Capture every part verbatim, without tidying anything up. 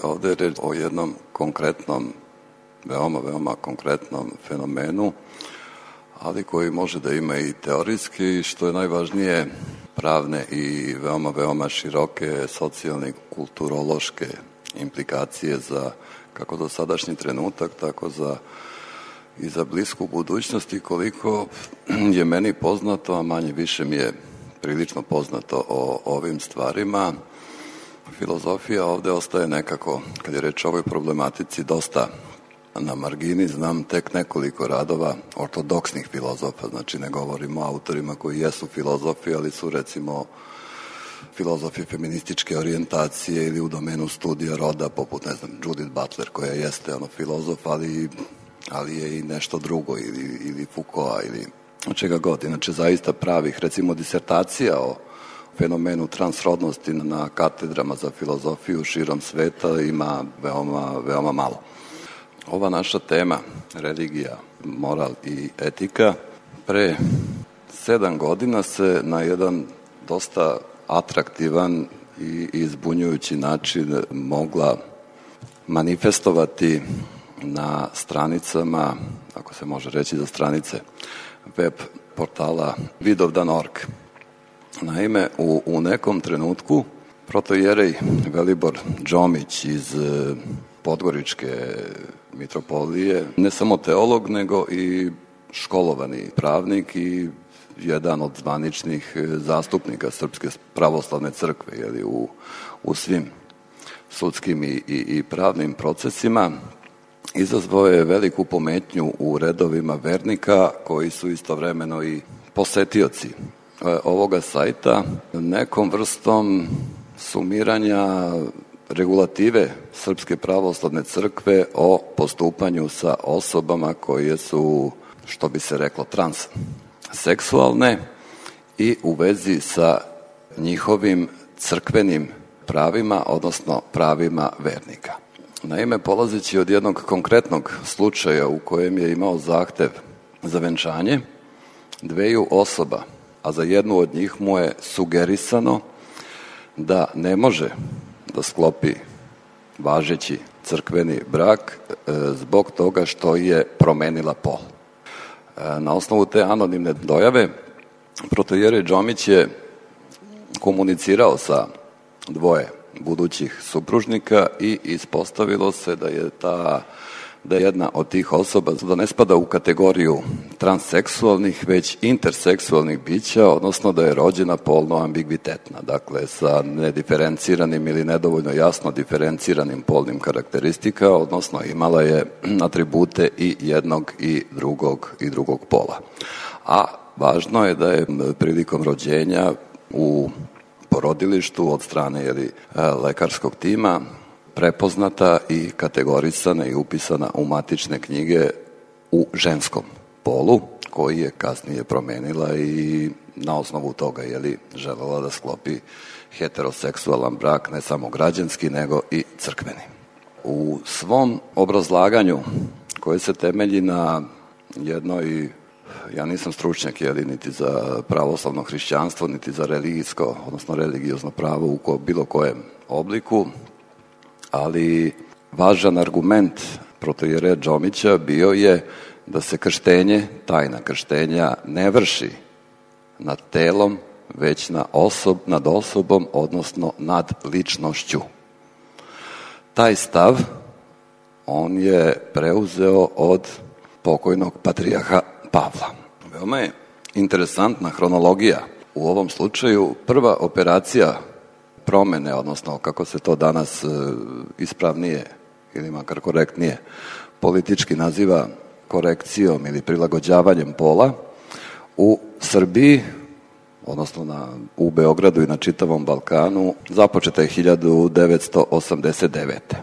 ovdje je reč o jednom konkretnom, veoma, veoma konkretnom fenomenu, ali koji može da ima i teorijski, što je najvažnije, pravne i veoma, veoma široke socijalne i kulturološke implikacije za kako do sadašnji trenutak, tako za i za blisku budućnost i koliko je meni poznato, a manje više mi je prilično poznato o ovim stvarima. Filozofija ovde ostaje nekako, kad je reč o ovoj problematici, dosta na margini. Znam tek nekoliko radova ortodoksnih filozofa, znači ne govorimo o autorima koji jesu filozofi, ali su recimo filozofi feminističke orijentacije ili u domenu studija roda, poput, ne znam, Judith Butler, koja jeste ono filozof, ali, ali je i nešto drugo, ili, ili Foucault, ili čega god. Inače, zaista pravih, recimo, disertacija o fenomenu transrodnosti na katedrama za filozofiju širom sveta ima veoma, veoma malo. Ova naša tema, religija, moral i etika, pre sedam godina se na jedan dosta atraktivan i izbunjujući način mogla manifestovati na stranicama, ako se može reći za stranice, web portala vidovdan tačka org. Naime, u, u nekom trenutku protojerej Velibor Đomić iz Podgoričke mitropolije, ne samo teolog, nego i školovani pravnik i jedan od zvaničnih zastupnika Srpske pravoslavne crkve, jeli, u, u svim sudskim i, i, i pravnim procesima, izazvao je veliku pometnju u redovima vernika koji su istovremeno i posetioci ovoga sajta nekom vrstom sumiranja regulative Srpske pravoslavne crkve o postupanju sa osobama koje su, što bi se reklo, transseksualne i u vezi sa njihovim crkvenim pravima, odnosno pravima vernika. Naime, polazeći od jednog konkretnog slučaja u kojem je imao zahtev za venčanje dveju osoba, a za jednu od njih mu je sugerisano da ne može da sklopi važeći crkveni brak e, zbog toga što je promenila pol. E, na osnovu te anonimne dojave, protojerej Đomić je komunicirao sa dvoje budućih supružnika i ispostavilo se da je ta da je jedna od tih osoba da ne spada u kategoriju transseksualnih, već interseksualnih bića, odnosno da je rođena polno ambigvitetna, dakle sa nediferenciranim ili nedovoljno jasno diferenciranim polnim karakteristika, odnosno imala je atribute i jednog i drugog i drugog pola. A važno je da je prilikom rođenja u porodilištu od strane jeli, lekarskog tima prepoznata i kategorisana i upisana u matične knjige u ženskom polu, koji je kasnije promenila i na osnovu toga je li želela da sklopi heteroseksualan brak, ne samo građanski, nego i crkveni. U svom obrazlaganju, koje se temelji na jednoj, ja nisam stručnjak, jeli, niti za pravoslavno hrišćanstvo, niti za religijsko, odnosno religiozno pravo u ko, bilo kojem obliku, ali važan argument protojereja Đomića bio je da se krštenje, tajna krštenja, ne vrši nad telom, već na osob, nad osobom, odnosno nad ličnošću. Taj stav on je preuzeo od pokojnog patrijarha Pavla. Veoma je interesantna hronologija u ovom slučaju. Prva operacija promene, odnosno kako se to danas e, ispravnije ili makar korektnije politički naziva korekcijom ili prilagođavanjem pola u Srbiji, odnosno na, u Beogradu i na čitavom Balkanu, započeta je hiljadu devetsto osamdeset devete.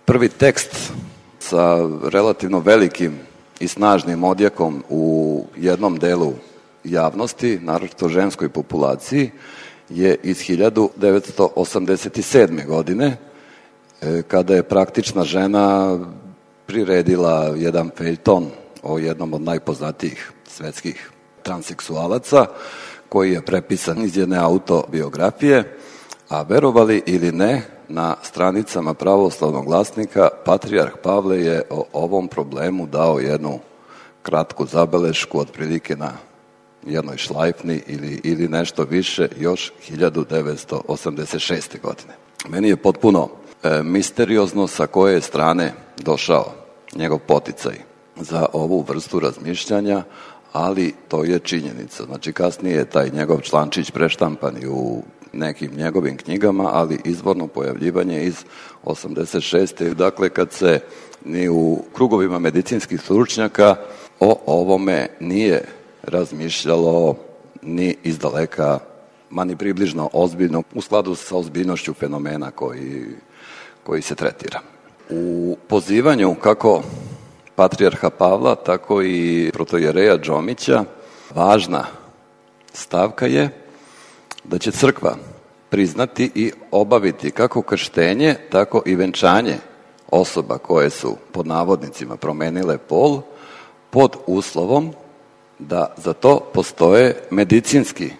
Prvi tekst sa relativno velikim i snažnim odjekom u jednom delu javnosti, naročito ženskoj populaciji, je iz hiljadu devetsto osamdeset sedme. godine, kada je praktična žena priredila jedan feljton o jednom od najpoznatijih svetskih transseksualaca, koji je prepisan iz jedne autobiografije, a verovali ili ne, na stranicama Pravoslavnog glasnika patrijarh Pavle je o ovom problemu dao jednu kratku zabelešku, otprilike na jednoj šlajfni ili, ili nešto više, još hiljadu devetsto osamdeset šeste. godine. Meni je potpuno e, misteriozno sa koje strane došao njegov poticaj za ovu vrstu razmišljanja, ali to je činjenica. Znači, kasnije je taj njegov člančić preštampan i u nekim njegovim knjigama, ali izvorno pojavljivanje iz osamdeset šeste. Dakle, kad se ni u krugovima medicinskih stručnjaka o ovome nije razmišljalo ni izdaleka, ma ni približno ozbiljno, u skladu sa ozbiljnošću fenomena koji, koji se tretira. U pozivanju kako patrijarha Pavla, tako i protojereja Džomića, važna stavka je da će crkva priznati i obaviti kako krštenje, tako i venčanje osoba koje su, pod navodnicima, promenile pol, pod uslovom da za to postoje medicinski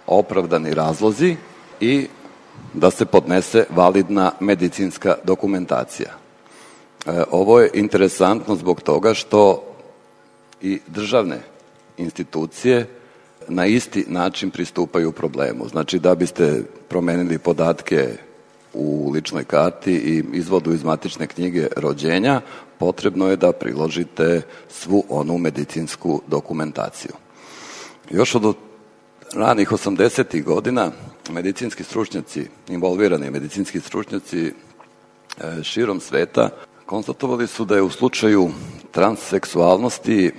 opravdani razlozi i da se podnese validna medicinska dokumentacija. E, ovo je interesantno zbog toga što i državne institucije na isti način pristupaju problemu. Znači, da biste promenili podatke u ličnoj karti i izvodu iz matične knjige rođenja, potrebno je da priložite svu onu medicinsku dokumentaciju. Još od ranih osamdesetih godina medicinski stručnjaci, involvirani medicinski stručnjaci širom sveta konstatovali su da je u slučaju transseksualnosti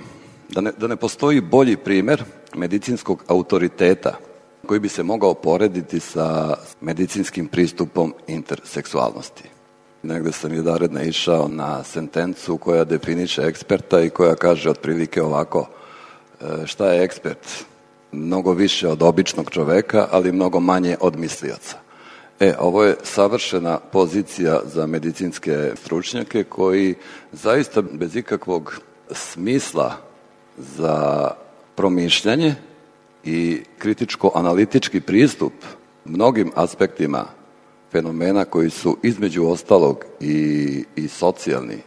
da ne, da ne postoji bolji primer medicinskog autoriteta koji bi se mogao porediti sa medicinskim pristupom interseksualnosti. Negde sam jedan naišao na sentencu koja definiše eksperta i koja kaže otprilike ovako: šta je ekspert? Mnogo više od običnog čoveka, ali mnogo manje od mislioca. E, ovo je savršena pozicija za medicinske stručnjake koji zaista bez ikakvog smisla za promišljanje i kritičko-analitički pristup mnogim aspektima fenomena koji su između ostalog i, i socijalni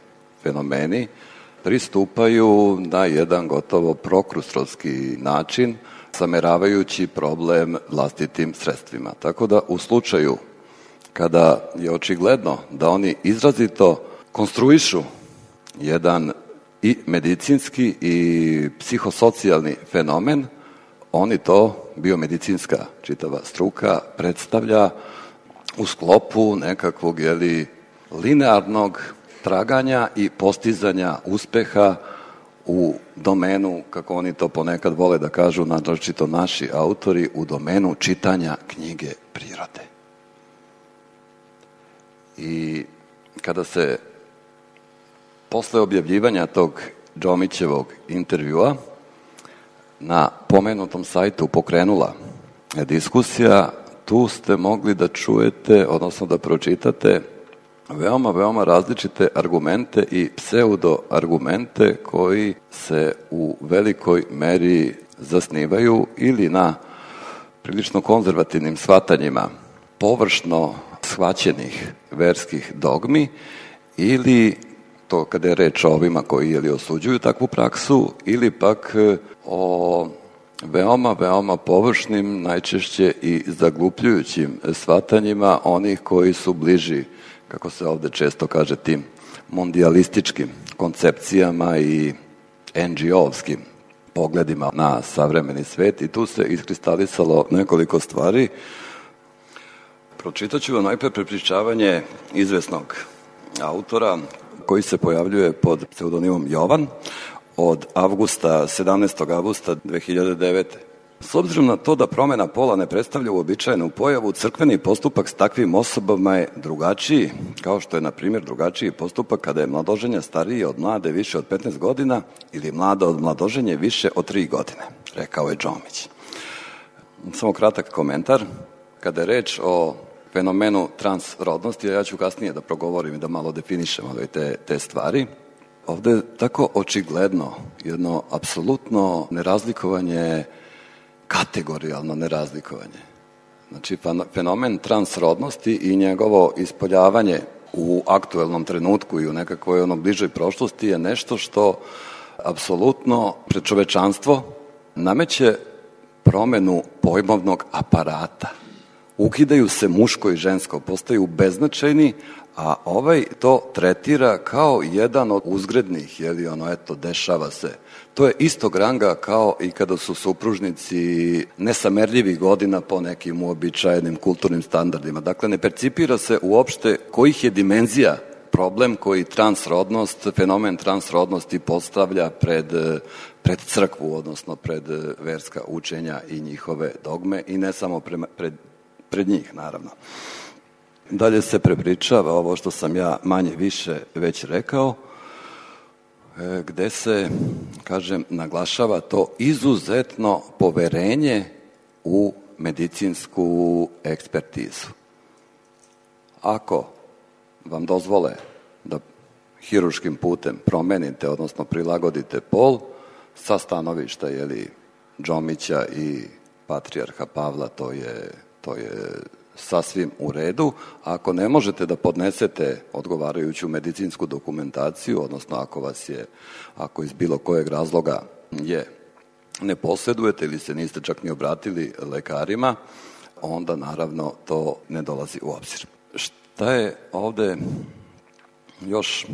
fenomeni, pristupaju na jedan gotovo prokrustrovski način, sameravajući problem vlastitim sredstvima. Tako da u slučaju kada je očigledno da oni izrazito konstruišu jedan i medicinski i psihosocijalni fenomen, oni to, biomedicinska čitava struka, predstavlja u sklopu nekakvog, jeli, linearnog traganja i postizanja uspeha u domenu, kako oni to ponekad vole da kažu, naročito naši autori, u domenu čitanja knjige prirode. I kada se posle objavljivanja tog Džomićevog intervjua na pomenutom sajtu pokrenula diskusija, tu ste mogli da čujete, odnosno da pročitate veoma, veoma različite argumente i pseudo-argumente koji se u velikoj meri zasnivaju ili na prilično konzervativnim shvatanjima površno shvaćenih verskih dogmi, ili to kada je reč o ovima koji jeli osuđuju takvu praksu, ili pak o veoma, veoma površnim, najčešće i zaglupljujućim shvatanjima onih koji su bliži, kako se ovde često kaže, tim mondijalističkim koncepcijama i en dži o-ovskim pogledima na savremeni svet, i tu se iskristalisalo nekoliko stvari. Pročitat ću vam najpre prepričavanje izvesnog autora koji se pojavljuje pod pseudonimom Jovan od avgusta, sedamnaestog avgusta dve hiljade devete. S obzirom na to da promena pola ne predstavlja uobičajenu pojavu, crkveni postupak s takvim osobama je drugačiji, kao što je, na primjer, drugačiji postupak kada je mladoženja stariji od mlade više od petnaest godina ili mlada od mladoženje više od tri godine, rekao je Džomić. Samo kratak komentar. Kada je reč o fenomenu transrodnosti, a ja ću kasnije da progovorim i da malo definišem te, te stvari, ovde je tako očigledno jedno apsolutno nerazlikovanje, kategorijalno nerazlikovanje Znači, fenomen transrodnosti i njegovo ispoljavanje u aktuelnom trenutku i u nekakvoj ono bližoj prošlosti je nešto što apsolutno pred čovečanstvo nameće promenu pojmovnog aparata. Ukidaju se muško i žensko, postaju beznačajni, a ovaj to tretira kao jedan od uzgrednih, jeli ono, eto, dešava se. To je istog ranga kao i kada su supružnici nesamerljivih godina po nekim uobičajenim kulturnim standardima. Dakle, ne percipira se uopšte kojih je dimenzija problem koji transrodnost, fenomen transrodnosti postavlja pred, pred crkvu, odnosno pred verska učenja i njihove dogme i ne samo prema, pred, pred njih, naravno. Dalje se prepričava ovo što sam ja manje više već rekao, gde se, kažem, naglašava to izuzetno poverenje u medicinsku ekspertizu. Ako vam dozvole da hiruškim putem promenite, odnosno prilagodite pol, sa stanovišta, jeli, Džomića i patrijarha Pavla, to je, to je sasvim u redu. Ako ne možete da podnesete odgovarajuću medicinsku dokumentaciju, odnosno ako vas je, ako iz bilo kojeg razloga je ne posjedujete ili se niste čak ni obratili lekarima, onda naravno to ne dolazi u obzir. Šta je ovde još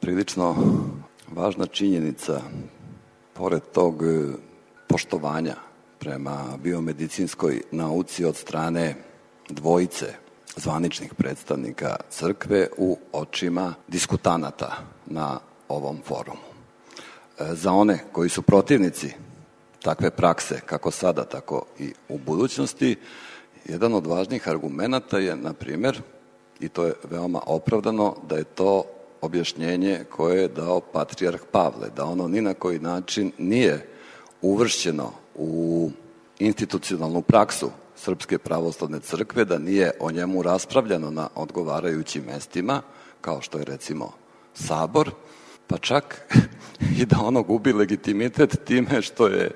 prilično važna činjenica, pored tog poštovanja prema biomedicinskoj nauci od strane dvojice zvaničnih predstavnika crkve u očima diskutanata na ovom forumu. Za one koji su protivnici takve prakse, kako sada, tako i u budućnosti, jedan od važnih argumenata je, na primjer, i to je veoma opravdano, da je to objašnjenje koje je dao patrijarh Pavle, da ono ni na koji način nije uvršćeno u institucionalnu praksu Srpske pravoslavne crkve, da nije o njemu raspravljano na odgovarajućim mestima, kao što je recimo Sabor, pa čak i da ono gubi legitimitet time što je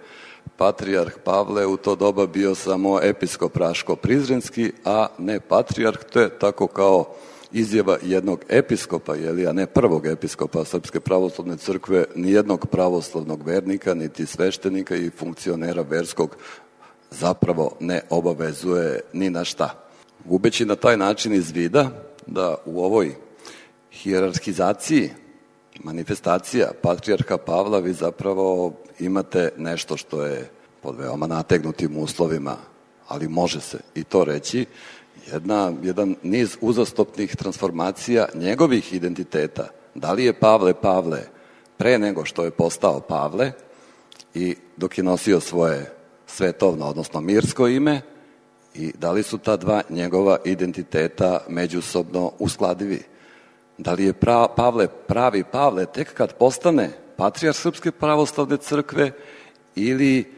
patrijarh Pavle u to doba bio samo episkop Raško-Prizrenski, a ne patrijarh. To je tako kao izjava jednog episkopa, jeli, a ne prvog episkopa Srpske pravoslavne crkve, ni jednog pravoslavnog vernika, niti sveštenika i funkcionera verskog zapravo ne obavezuje ni na šta. Gubeći na taj način iz vida da u ovoj hijerarhizaciji manifestacija patrijarha Pavla vi zapravo imate nešto što je pod veoma nategnutim uslovima, ali može se i to reći, jedna, jedan niz uzastopnih transformacija njegovih identiteta. Da li je Pavle Pavle pre nego što je postao Pavle i dok je nosio svoje svetovno, odnosno mirsko ime, i da li su ta dva njegova identiteta međusobno uskladivi? Da li je pra, Pavle pravi Pavle tek kad postane patrijarh Srpske pravoslavne crkve ili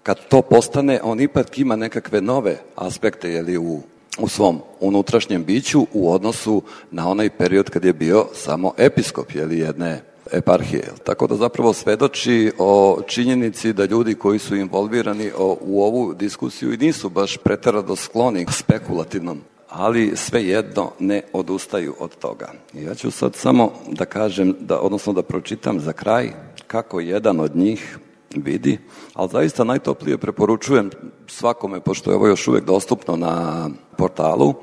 kad to postane, on ipak ima nekakve nove aspekte, jeli, u, u svom unutrašnjem biću u odnosu na onaj period kad je bio samo episkop, jeli, jedne eparhije. Tako da zapravo svedoči o činjenici da ljudi koji su involvirani o, u ovu diskusiju i nisu baš preterano skloni spekulativnom, ali svejedno ne odustaju od toga. Ja ću sad samo da kažem, da, odnosno da pročitam za kraj kako jedan od njih vidi, ali zaista najtoplije preporučujem svakome, pošto je ovo još uvek dostupno na portalu,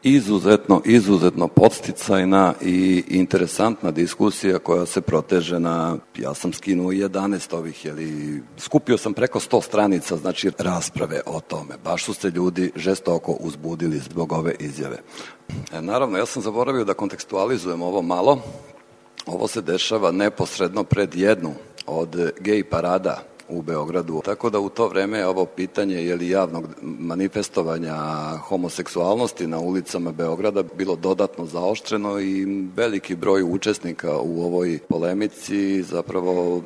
izuzetno, izuzetno podsticajna i interesantna diskusija koja se proteže na, ja sam skinuo jedanaest ovih, jeli, skupio sam preko sto stranica, znači rasprave o tome. Baš su se ljudi žestoko uzbudili zbog ove izjave. E, naravno, ja sam zaboravio da kontekstualizujem ovo malo. Ovo se dešava neposredno pred jednu od gej parada u Beogradu. Tako da u to vreme ovo pitanje, je li, javnog manifestovanja homoseksualnosti na ulicama Beograda bilo dodatno zaoštreno i veliki broj učesnika u ovoj polemici zapravo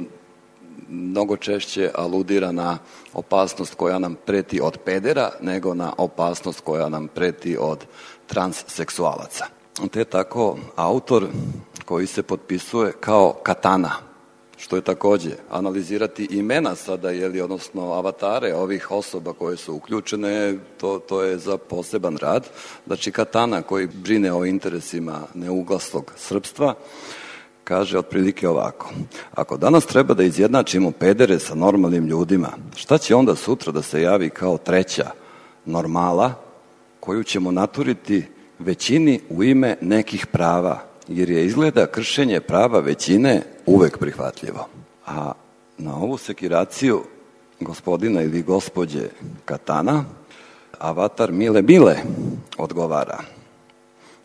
mnogo češće aludira na opasnost koja nam preti od pedera nego na opasnost koja nam preti od transseksualaca. Te tako autor koji se potpisuje kao Katana, što je takođe analizirati imena sada, jeli, odnosno avatare ovih osoba koje su uključene, to, to je za poseban rad. Znači, Katana, koji brine o interesima neuglaslog srpstva, kaže otprilike ovako: ako danas treba da izjednačimo pedere sa normalnim ljudima, šta će onda sutra da se javi kao treća normala koju ćemo naturiti većini u ime nekih prava, jer je izgleda kršenje prava većine uvek prihvatljivo. A na ovu sekiraciju gospodina ili gospođe Katana, avatar Mile Mile odgovara: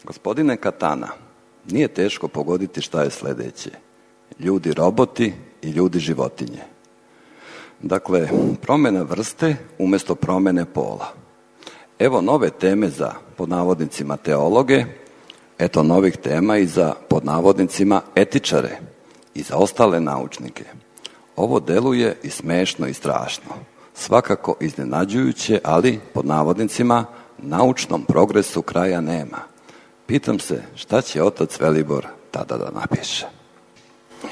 gospodine Katana, nije teško pogoditi šta je sledeće. Ljudi roboti i ljudi životinje. Dakle, promena vrste umesto promene pola. Evo nove teme za, pod navodnicima, teologe, eto novih tema i za, pod navodnicima, etičare i za ostale naučnike. Ovo deluje i smešno i strašno. Svakako iznenađujuće, ali, pod navodnicima, naučnom progresu kraja nema. Pitam se šta će otac Velibor tada da napiše.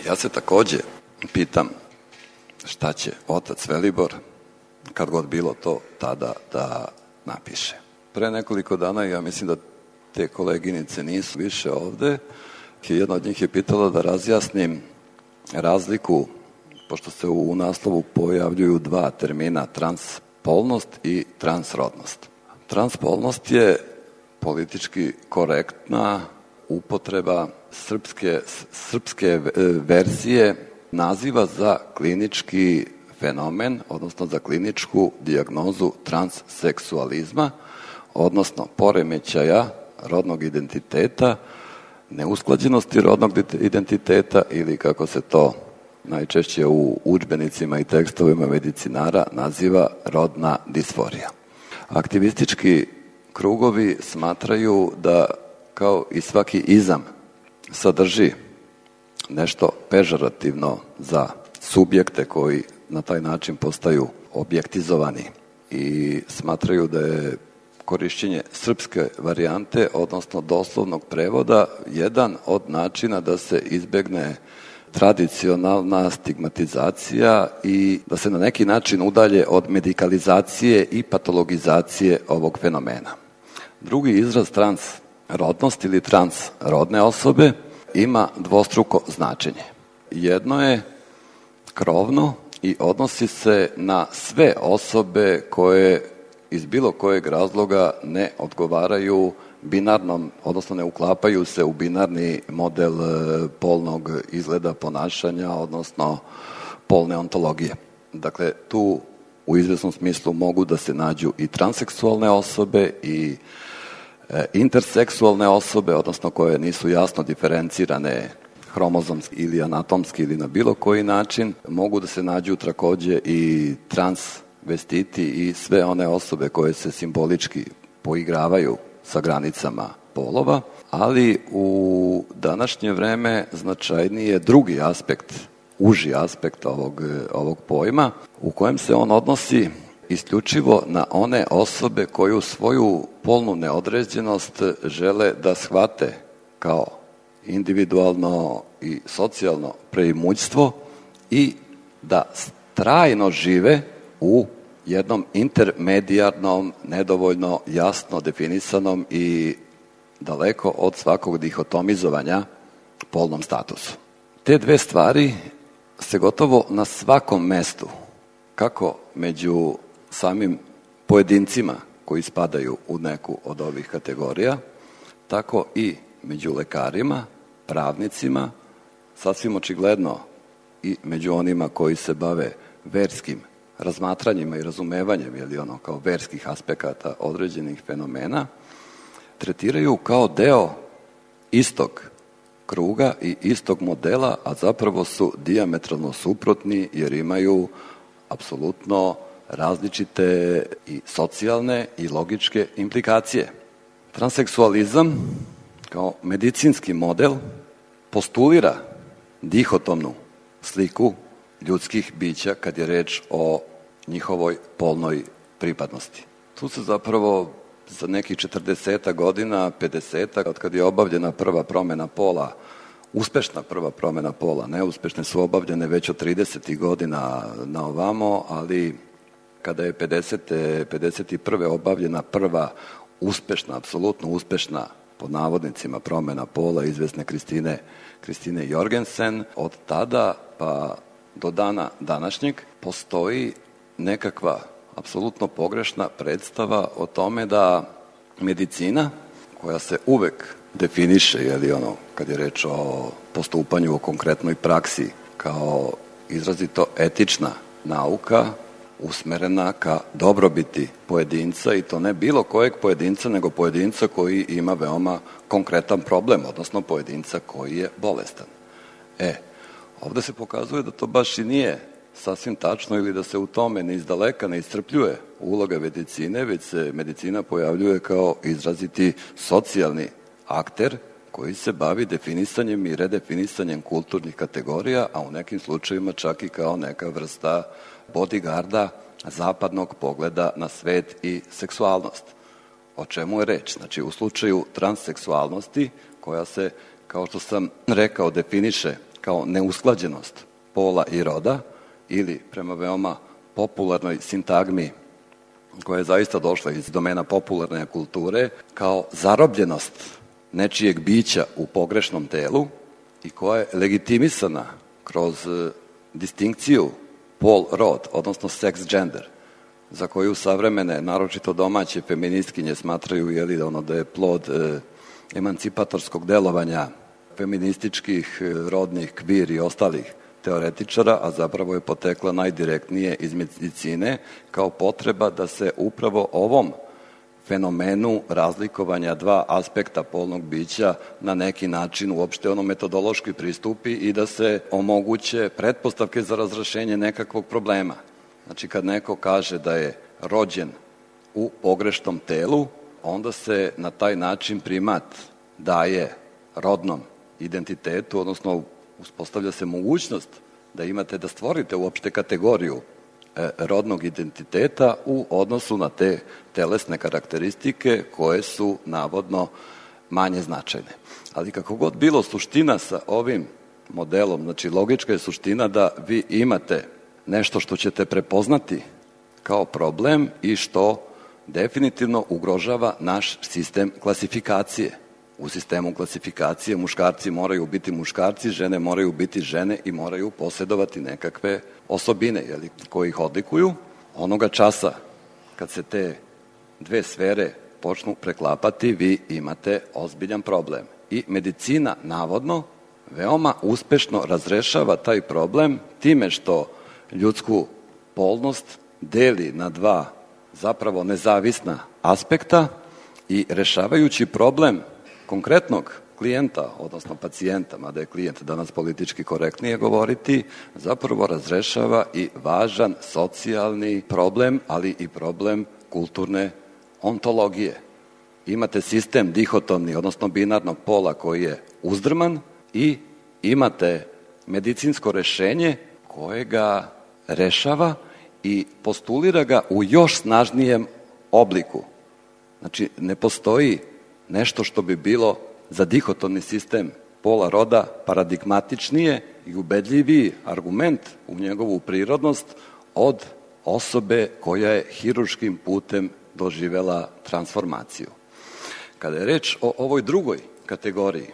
Ja se takođe pitam šta će otac Velibor, kad god bilo to, tada da napiše. Pre nekoliko dana, ja mislim da te koleginice nisu više ovde, jedna od njih je pitala da razjasnim razliku, pošto se u naslovu pojavljuju dva termina, transpolnost i transrodnost. Transpolnost je politički korektna upotreba srpske, srpske verzije naziva za klinički fenomen, odnosno za kliničku dijagnozu transseksualizma, odnosno poremećaja rodnog identiteta, neusklađenosti rodnog identiteta ili, kako se to najčešće u udžbenicima i tekstovima medicinara naziva, rodna disforija. Aktivistički krugovi smatraju da, kao i svaki izam, sadrži nešto pežorativno za subjekte koji na taj način postaju objektizovani i smatraju da je korišćenje srpske varijante, odnosno doslovnog prevoda, jedan od načina da se izbegne tradicionalna stigmatizacija i da se na neki način udalje od medikalizacije i patologizacije ovog fenomena. Drugi izraz transrodnost ili transrodne osobe ima dvostruko značenje. Jedno je krovno i odnosi se na sve osobe koje iz bilo kojeg razloga ne odgovaraju binarnom, odnosno ne uklapaju se u binarni model polnog izgleda ponašanja, odnosno polne ontologije. Dakle, tu u izvesnom smislu mogu da se nađu i transseksualne osobe i e, interseksualne osobe, odnosno koje nisu jasno diferencirane hromozomski ili anatomski ili na bilo koji način. Mogu da se nađu takođe i transvestiti i sve one osobe koje se simbolički poigravaju sa granicama polova, ali u današnje vreme značajniji je drugi aspekt, uži aspekt ovog, ovog pojma, u kojem se on odnosi isključivo na one osobe koju svoju polnu neodređenost žele da shvate kao individualno i socijalno preimućstvo i da trajno žive u jednom intermedijarnom, nedovoljno jasno definisanom i daleko od svakog dihotomizovanja polnom statusu. Te dve stvari se gotovo na svakom mestu, kako među samim pojedincima koji spadaju u neku od ovih kategorija, tako i među lekarima, pravnicima, sasvim očigledno i među onima koji se bave verskim razmatranjima i razumevanjem, ili ono kao verskih aspekata određenih fenomena, tretiraju kao deo istog kruga i istog modela, a zapravo su dijametralno suprotni jer imaju apsolutno različite i socijalne i logičke implikacije. Transseksualizam kao medicinski model postulira dihotomnu sliku ljudskih bića kad je reč o njihovoj polnoj pripadnosti. Tu se zapravo za nekih četrdeset godina, pedeset, od kad je obavljena prva promena pola uspešna prva promjena pola. Neuspešne su obavljene već od tridesetih godina na ovamo, ali kada je pedesete, pedeset prve obavljena prva uspešna, apsolutno uspešna, pod navodnicima, promjena pola izvesne Kristine, Kristine Jorgensen, od tada pa do dana današnjeg postoji nekakva apsolutno pogrešna predstava o tome da medicina, koja se uvek definiše, jeli ono, kad je reč o postupanju u konkretnoj praksi, kao izrazito etična nauka, usmerena ka dobrobiti pojedinca, i to ne bilo kojeg pojedinca, nego pojedinca koji ima veoma konkretan problem, odnosno pojedinca koji je bolestan. E, ovde se pokazuje da to baš i nije sasvim tačno, ili da se u tome ni izdaleka ne iscrpljuje uloga medicine, već se medicina pojavljuje kao izraziti socijalni akter koji se bavi definisanjem i redefinisanjem kulturnih kategorija, a u nekim slučajevima čak i kao neka vrsta bodyguarda zapadnog pogleda na svet i seksualnost. O čemu je reč? Znači, u slučaju transseksualnosti, koja se, kao što sam rekao, definiše kao neusklađenost pola i roda, ili prema veoma popularnoj sintagmi koja je zaista došla iz domena popularne kulture, kao zarobljenost nečijeg bića u pogrešnom telu i koja je legitimisana kroz distinkciju pol-rod, odnosno sex-gender, za koju savremene, naročito domaće feministkinje smatraju, jeli, da ono da je plod e, emancipatorskog delovanja feminističkih, rodnih, kvir i ostalih teoretičara, a zapravo je potekla najdirektnije iz medicine kao potreba da se upravo ovom fenomenu razlikovanja dva aspekta polnog bića na neki način uopšte ono metodološki pristupi i da se omoguće pretpostavke za razrešenje nekakvog problema. Znači, kad neko kaže da je rođen u pogrešnom telu, onda se na taj način primat daje rodnom identitetu, odnosno uspostavlja se mogućnost da imate, da stvorite uopšte kategoriju e, rodnog identiteta u odnosu na te telesne karakteristike koje su navodno manje značajne. Ali kako god bilo, suština sa ovim modelom, znači logička je suština da vi imate nešto što ćete prepoznati kao problem i što definitivno ugrožava naš sistem klasifikacije. U sistemu klasifikacije muškarci moraju biti muškarci, žene moraju biti žene i moraju posjedovati nekakve osobine, jeli, koje ih odlikuju. Onoga časa kad se te dve sfere počnu preklapati, vi imate ozbiljan problem. I medicina, navodno, veoma uspešno razrešava taj problem time što ljudsku polnost deli na dva zapravo nezavisna aspekta i rešavajući problem konkretnog klijenta, odnosno pacijenta, mada je klijent danas politički korektnije govoriti, zapravo razrešava i važan socijalni problem, ali i problem kulturne ontologije. Imate sistem dihotomni, odnosno binarnog pola koji je uzdrman i imate medicinsko rešenje koje ga rešava i postulira ga u još snažnijem obliku. Znači, ne postoji nešto što bi bilo za dihotomni sistem pola roda paradigmatičnije i ubedljiviji argument u njegovu prirodnost od osobe koja je hirurškim putem doživela transformaciju. Kada je reč o ovoj drugoj kategoriji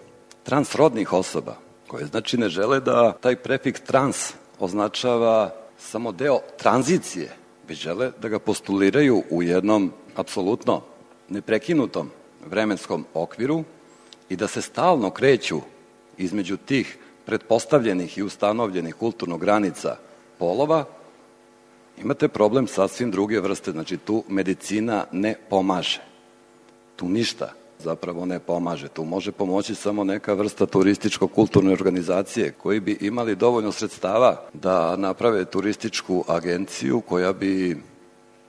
transrodnih osoba, koje znači ne žele da taj prefiks trans označava samo deo tranzicije, već žele da ga postuliraju u jednom apsolutno neprekinutom vremenskom okviru i da se stalno kreću između tih pretpostavljenih i ustanovljenih kulturnih granica polova, imate problem sasvim druge vrste. Znači, tu medicina ne pomaže. Tu ništa zapravo ne pomaže. Tu može pomoći samo neka vrsta turističko-kulturne organizacije koji bi imali dovoljno sredstava da naprave turističku agenciju koja bi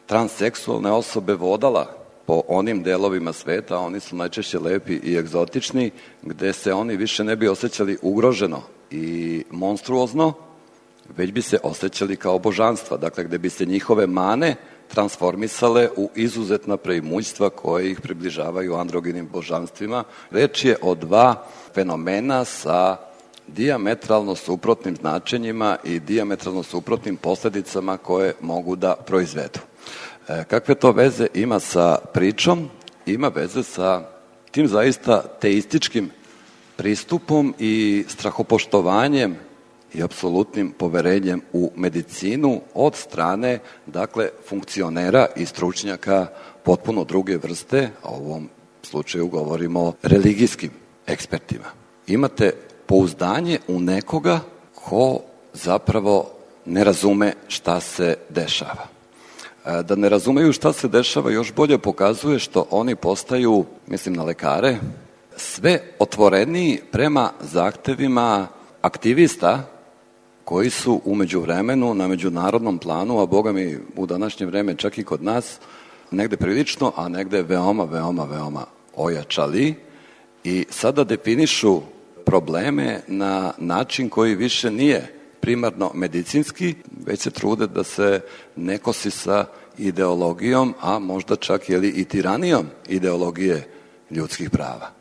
transseksualne osobe vodala po onim delovima sveta, a oni su najčešće lepi i egzotični, gde se oni više ne bi osjećali ugroženo i monstruozno, već bi se osjećali kao božanstva, dakle gde bi se njihove mane transformisale u izuzetna preimućstva koje ih približavaju androgenim božanstvima. Reč je o dva fenomena sa dijametralno suprotnim značenjima i dijametralno suprotnim posledicama koje mogu da proizvedu. E, kakve to veze ima sa pričom? Ima veze sa tim zaista teističkim pristupom i strahopoštovanjem i apsolutnim poverenjem u medicinu od strane, dakle, funkcionera i stručnjaka potpuno druge vrste, a u ovom slučaju govorimo o religijskim ekspertima. Imate pouzdanje u nekoga ko zapravo ne razume šta se dešava. Da ne razumeju šta se dešava još bolje pokazuje što oni postaju, mislim na lekare, sve otvoreniji prema zahtevima aktivista koji su u međuvremenu na međunarodnom planu, a boga mi u današnje vreme čak i kod nas, negde prilično, a negde veoma, veoma, veoma ojačali i sada definišu probleme na način koji više nije primarno medicinski, već se trude da se ne kosi sa ideologijom, a možda čak jeli, i tiranijom ideologije ljudskih prava.